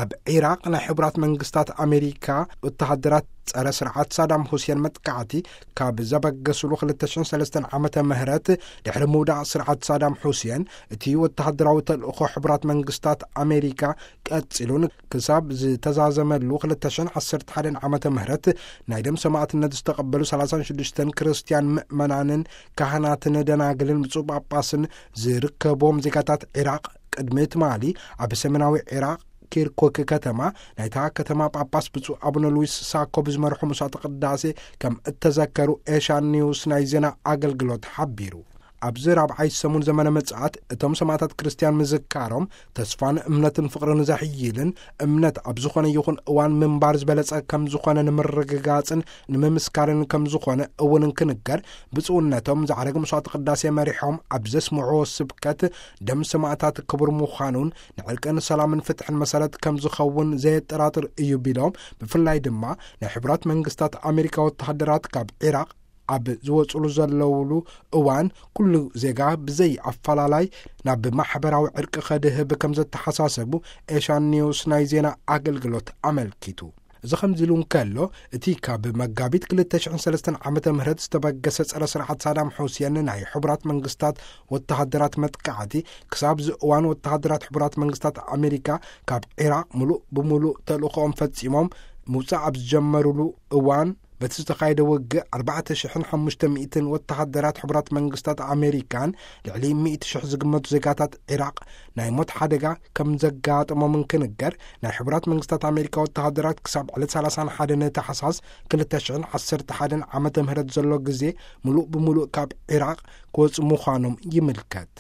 ኣብ ዒራቕ ናይ ሕቡራት መንግስታት ኣሜሪካ ወተሃደራት ጸረ ስርዓት ሳዳም ሁሴን መጥቃዕቲ ካብ ዘበገስሉ ክልተ ሽሕን ሰለስተን ዓመተ ምህረት ድሕሪ ምውዳቕ ስርዓት ሳዳም ሁሴን፣ እቲ ወተሃደራዊ ተልእኾ ሕቡራት መንግስታት ኣሜሪካ ቀጺሉን ክሳብ ዝተዛዘመሉ ክልተ ሽሕን ዓሰርተ ሓደን ዓመተ ምህረት ናይ ደም ሰማዕትነት ዝተቐበሉ ሰላሳን ሽዱሽተን ክርስትያን ምእመናንን ካህናትን ደናግልን ብፁዕ ጳጳስን ዝርከቦም ዜጋታት ዒራቕ ቅድሚ ትማሊ ኣብ ሰሜናዊ ዒራቕ ኪርኩክ ከተማ ናይታ ከተማ ጳጳስ ብፁዕ ኣቡነ ሉዊስ ሳኮ ብዝመርሑ መስዋዕተ ቅዳሴ ከም እተዘከሩ ኤሻን ኒውስ ናይ ዜና ኣገልግሎት ሓቢሩ። ኣብዚ ራብዓይ ሰሙን ዘመነ ምጽኣት እቶም ሰማዕታት ክርስትያን ምዝካሮም ተስፋን እምነትን ፍቕርን ዘሕይልን፣ እምነት ኣብ ዝኾነ ይኹን እዋን ምንባር ዝበለጸ ከም ዝኾነ ንምርግጋጽን ንምምስካርን ከም ዝኾነ እውን እንክንገር፣ ብፁዕነቶም ዝዓረገ መስዋዕተ ቅዳሴ መሪሖም ኣብ ዘስምዕዎ ስብከት፣ ደም ሰማዕታት ክቡር ምዃኑን ንዕርቅን ሰላምን ፍትሕን መሰረት ከም ዝኸውን ዘየጠራጥር እዩ ቢሎም፣ ብፍላይ ድማ ናይ ሕቡራት መንግስታት ኣሜሪካ ወተሃደራት ካብ ዒራቕ ኣብ ዝወጽሉ ዘለውሉ እዋን፣ ኩሉ ዜጋ ብዘይ ኣፈላላይ ናብ ማሕበራዊ ዕርቂ ከድህብ ከም ዘተሓሳሰቡ ኤሻን ኒውስ ናይ ዜና ኣገልግሎት ኣመልኪቱ። እዚ ከምዚ ኢሉ እንከሎ፣ እቲ ካብ መጋቢት ክልተ ሽሕን ሰለስተን ዓመተ ምህረት ዝተበገሰ ጸረ ስርዓት ሳዳም ሑሴን ናይ ሕቡራት መንግስታት ወተሃደራት መጥቃዕቲ፣ ክሳብ እዚ እዋን ወተሃደራት ሕቡራት መንግስታት ኣሜሪካ ካብ ዒራቕ ምሉእ ብምሉእ ተልእኾኦም ፈጺሞም ምውጻእ ኣብ ዝጀመሩሉ እዋን፣ በቲ ዝተኻየደ ውግእ ኣርባዕተ ሽሕን ሓሙሽተ ሚእትን ወተሃደራት ሕቡራት መንግስታት ኣሜሪካን ልዕሊ ሚእቲ ሽሕ ዝግመቱ ዜጋታት ዒራቕ ናይ ሞት ሓደጋ ከም ዘጋጠሞም እንክንገር፣ ናይ ሕቡራት መንግስታት ኣሜሪካ ወተሃደራት ክሳብ ዕለት ሰላሳን ሓደን ታሕሳስ ክልተ ሽሕን ዓሰርተ ሓደን ዓመተ ምህረት ዘሎ ግዜ ምሉእ ብምሉእ ካብ ዒራቕ ክወጹ ምዃኖም ይምልከት።